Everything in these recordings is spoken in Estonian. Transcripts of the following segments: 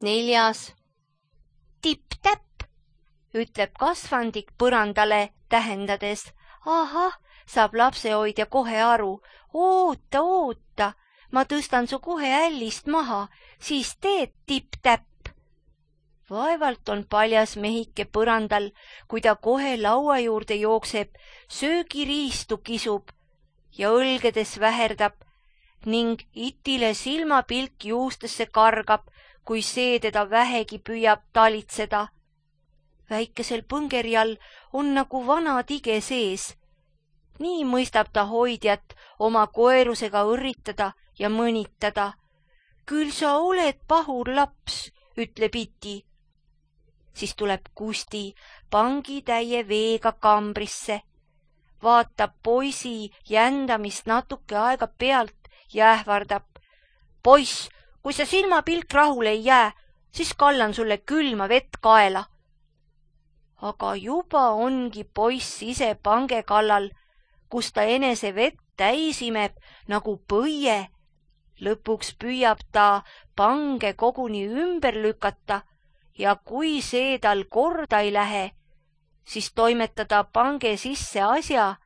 4. Tipp-täpp, ütleb kasvandik põrandale tähendades. Ahah, saab lapsehoidja kohe aru. Oota, ma tõstan su kohe ällist maha, siis teed tipp-täpp. Vaevalt on paljas mehike põrandal, kui ta kohe laua juurde jookseb, söögiriistu kisub ja õlgedes väherdab ning itile silmapilk juustesse kargab, kui see teda vähegi püüab talitseda. Väikesel põngerjal on nagu vana tige sees. Nii mõistab ta hoidjat oma koerusega õrritada ja mõnitada. Küll sa oled pahur laps, ütleb iti. Siis tuleb Kusti pangitäie veega kambrisse, vaatab poisi jändamist natuke aega pealt ja ähvardab. Poiss, kui sa silmapilk rahule ei jää, siis kallan sulle külma vett kaela. Aga juba ongi poiss ise pange kallal, kus ta enese vett täis imeb nagu põie. Lõpuks püüab ta pange koguni ümber lükata ja kui see tal korda ei lähe, siis toimetada pange sisse asja,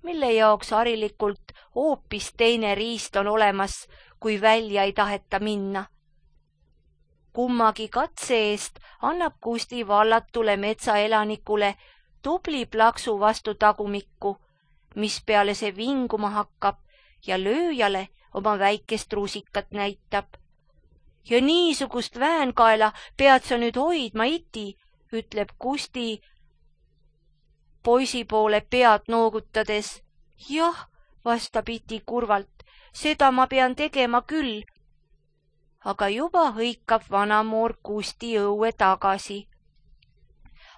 mille jaoks harilikult hoopis teine riist on olemas, kui välja ei taheta minna. Kummagi katse eest annab Kusti vallatule metsaelanikule tubli plaksu vastu tagumikku, mis peale see vinguma hakkab ja lööjale oma väikest rusikat näitab. Ja niisugust väänkaela pead sa nüüd hoidma, iti, ütleb Kusti poisi poole pead noogutades. Jah, vastab iti kurvalt, seda ma pean tegema küll. Aga juba hõikab vanamoor Kusti õue tagasi.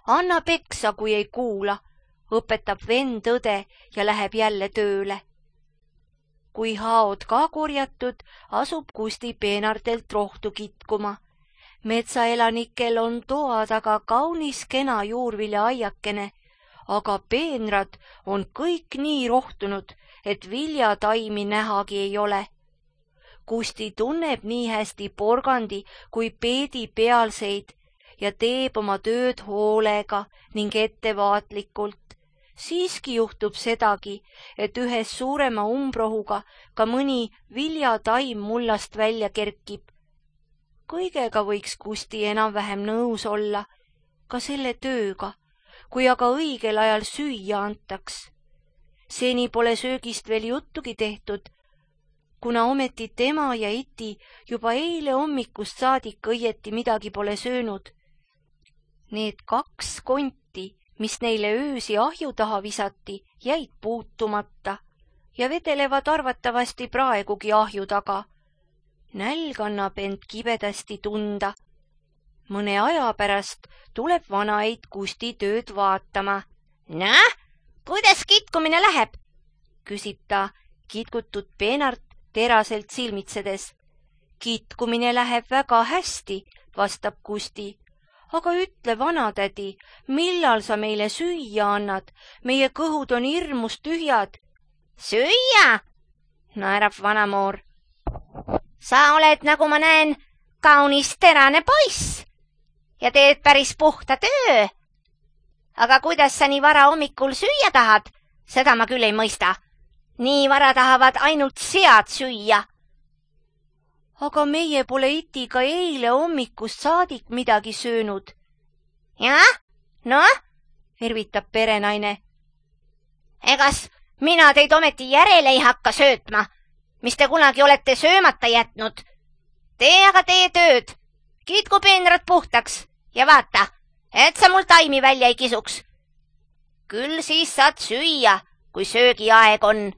Anna peksa, kui ei kuula, õpetab vend õde ja läheb jälle tööle. Kui haod ka korjatud, asub Kusti peenartelt rohtu kitkuma. Metsaelanikel on toa taga kaunis kena juurviljaaiakene, aga peenrad on kõik nii rohtunud, et viljataimi nähagi ei ole. Kusti tunneb nii hästi porgandi kui peedi pealseid ja teeb oma tööd hoolega ning ettevaatlikult. Siiski juhtub sedagi, et ühes suurema umbrohuga ka mõni viljataim mullast välja kerkib. Kõigega võiks Kusti enam-vähem nõus olla, ka selle tööga, kui aga õigel ajal süüa antaks. Seni pole söögist veel juttugi tehtud, kuna ometi tema ja iti juba eile hommikust saadik õieti midagi pole söönud. Need 2 konti, mis neile öösi ahju taha visati, jäid puutumata ja vedelevad arvatavasti praegugi ahju taga. Nälg annab end kibedasti tunda. Mõne aja pärast tuleb vanaid Kusti tööd vaatama. Näh, kuidas kitkumine läheb? Küsib ta kitkutud peenart teraselt silmitsedes. Kitkumine läheb väga hästi, vastab Kusti. Aga ütle, vanatädi, millal sa meile süüa annad? Meie kõhud on hirmus tühjad. Süüa? Naerab vanamoor. Sa oled, nagu ma näen, kaunis terane poiss ja teed päris puhta töö. Aga kuidas sa nii vara hommikul süüa tahad? Seda ma küll ei mõista. Nii vara tahavad ainult sead süüa. Aga meie pole itiga eile hommikust saadik midagi söönud. Jah? Noh? Virvitab perenaine. Egas mina teid ometi järele ei hakka söötma, mis te kunagi olete söömata jätnud. Tee aga tee tööd. Kitku peenrad puhtaks ja vaata, et sa mul taimi välja ei kisuks. Küll siis saad süüa, kui söögiaeg on.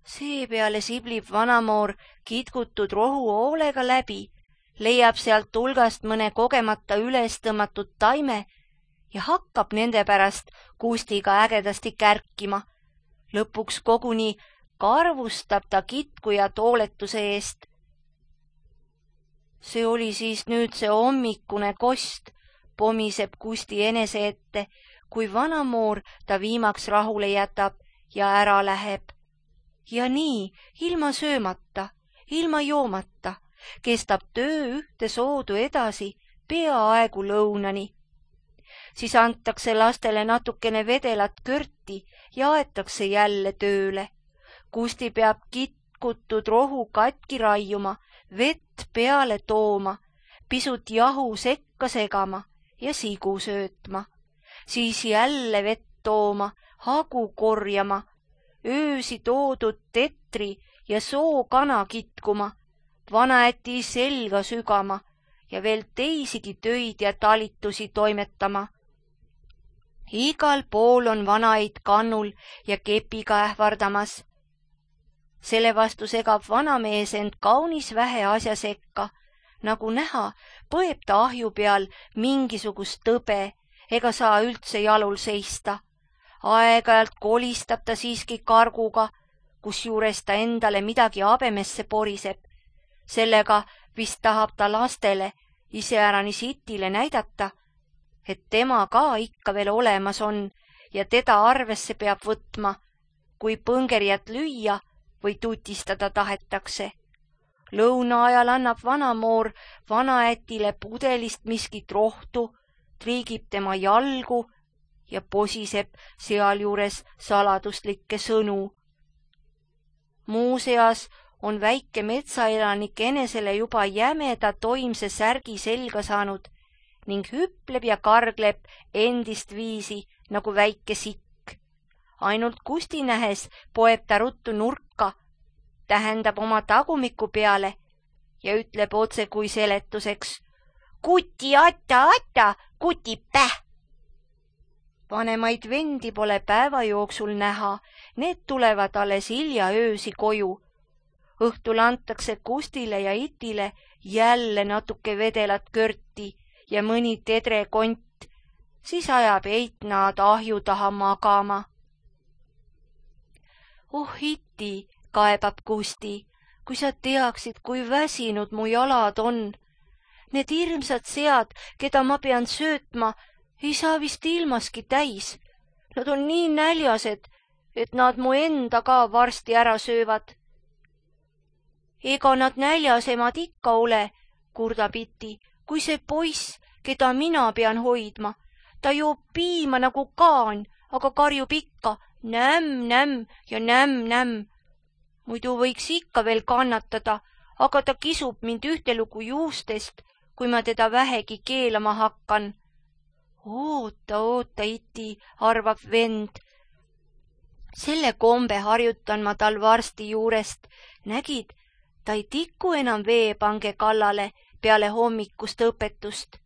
Seepeale siblib vanamoor kitkutud rohu hoolega läbi, leiab sealt hulgast mõne kogemata üles tõmmatud taime ja hakkab nende pärast Kustiga ägedasti kärkima. Lõpuks koguni karvustab ta kitkujat hooletuse eest. See oli siis nüüd see hommikune kost, pomiseb Kusti enese ette, kui vanamoor ta viimaks rahule jätab ja ära läheb. Ja nii, ilma söömata, ilma joomata kestab töö ühte soodu edasi peaaegu lõunani. Siis antakse lastele natukene vedelat körti ja aetakse jälle tööle. Kusti peab kitkutud rohu katki raiuma, vett peale tooma, pisut jahu sekka segama ja sigu söötma. Siis jälle vett tooma, hagu korjama, öösi toodud tetri ja sookana kitkuma, vanaäti selga sügama ja veel teisigi töid ja talitusi toimetama. Igal pool on vanaid kannul ja kepiga ähvardamas. Selle vastu segab vanamees end kaunis vähe asja sekka. Nagu näha, põeb ta ahju peal mingisugust tõbe ega saa üldse jalul seista. Aeg-ajalt kolistab ta siiski karguga, kusjuures ta endale midagi habemesse poriseb. Sellega vist tahab ta lastele, iseäranis Itile näidata, et tema ka ikka veel olemas on ja teda arvesse peab võtma, kui põngerjat lüüa või tutistada tahetakse. Lõuna ajal annab vanamoor vanaätile pudelist miskit rohtu, triigib tema jalgu ja posiseb sealjuures saladuslikke sõnu. Muuseas on väike metsaelanik enesele juba jämeda toimse särgi selga saanud ning hüpleb ja kargleb endist viisi nagu väike sikk. Ainult Kusti nähes poeb ta ruttu nurka, tähendab oma tagumiku peale ja ütleb otse kui seletuseks: kuti ata, kuti päh! Vanemaid vendi pole päeva jooksul näha, need tulevad alles hilja öösi koju. Õhtul antakse Kustile ja Itile jälle natuke vedelat körti ja mõni tedrekont, siis ajab Eit nad ahju taha magama. Oh Iti, kaebab Kusti, kui sa teaksid, kui väsinud mu jalad on. Need hirmsad sead, keda ma pean söötma, ei saa vist ilmaski täis. Nad on nii näljased, et nad mu enda ka varsti ära söövad. Ega nad näljasemad ikka ole, kurdab Iti, kui see poiss, keda mina pean hoidma. Ta joob piima nagu kaan, aga karjub ikka nämm ja nämm. Muidu võiks ikka veel kannatada, aga ta kisub mind ühtelugu juustest, kui ma teda vähegi keelama hakkan. Oota, Iti, arvab vend. Selle kombe harjutan ma tal varsti juurest. Nägid, ta ei tiku enam veepange kallale peale hommikust õpetust.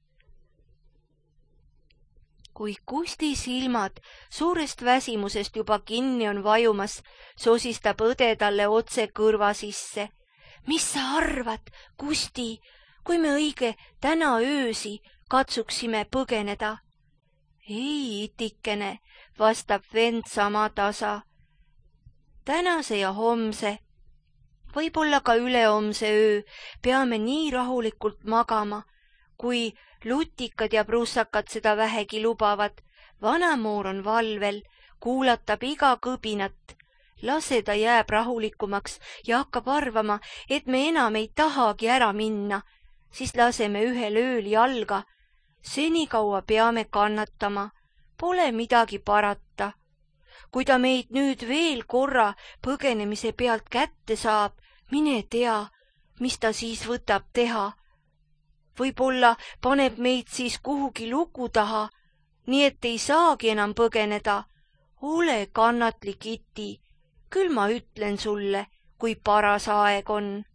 Kui Kusti silmad suurest väsimusest juba kinni on vajumas, sosistab õde talle otse kõrva sisse. Mis sa arvad, Kusti, kui me õige täna öösi katsuksime põgeneda? Ei, Itikene, vastab vend sama tasa. Tänase ja homse, võib-olla ka ülehomse öö peame nii rahulikult magama, kui lutikad ja prussakad seda vähegi lubavad. Vanamoor on valvel, kuulatab iga kõbinat. Lase ta jääb rahulikumaks ja hakkab arvama, et me enam ei tahagi ära minna. Siis laseme ühel ööl jalga. Senikaua peame kannatama. Pole midagi parata. Kui ta meid nüüd veel korra põgenemise pealt kätte saab, mine tea, mis ta siis võtab teha. Võib-olla paneb meid siis kuhugi luku taha, nii et ei saagi enam põgeneda. Ole kannatlik, Iti, küll ma ütlen sulle, kui paras aeg on.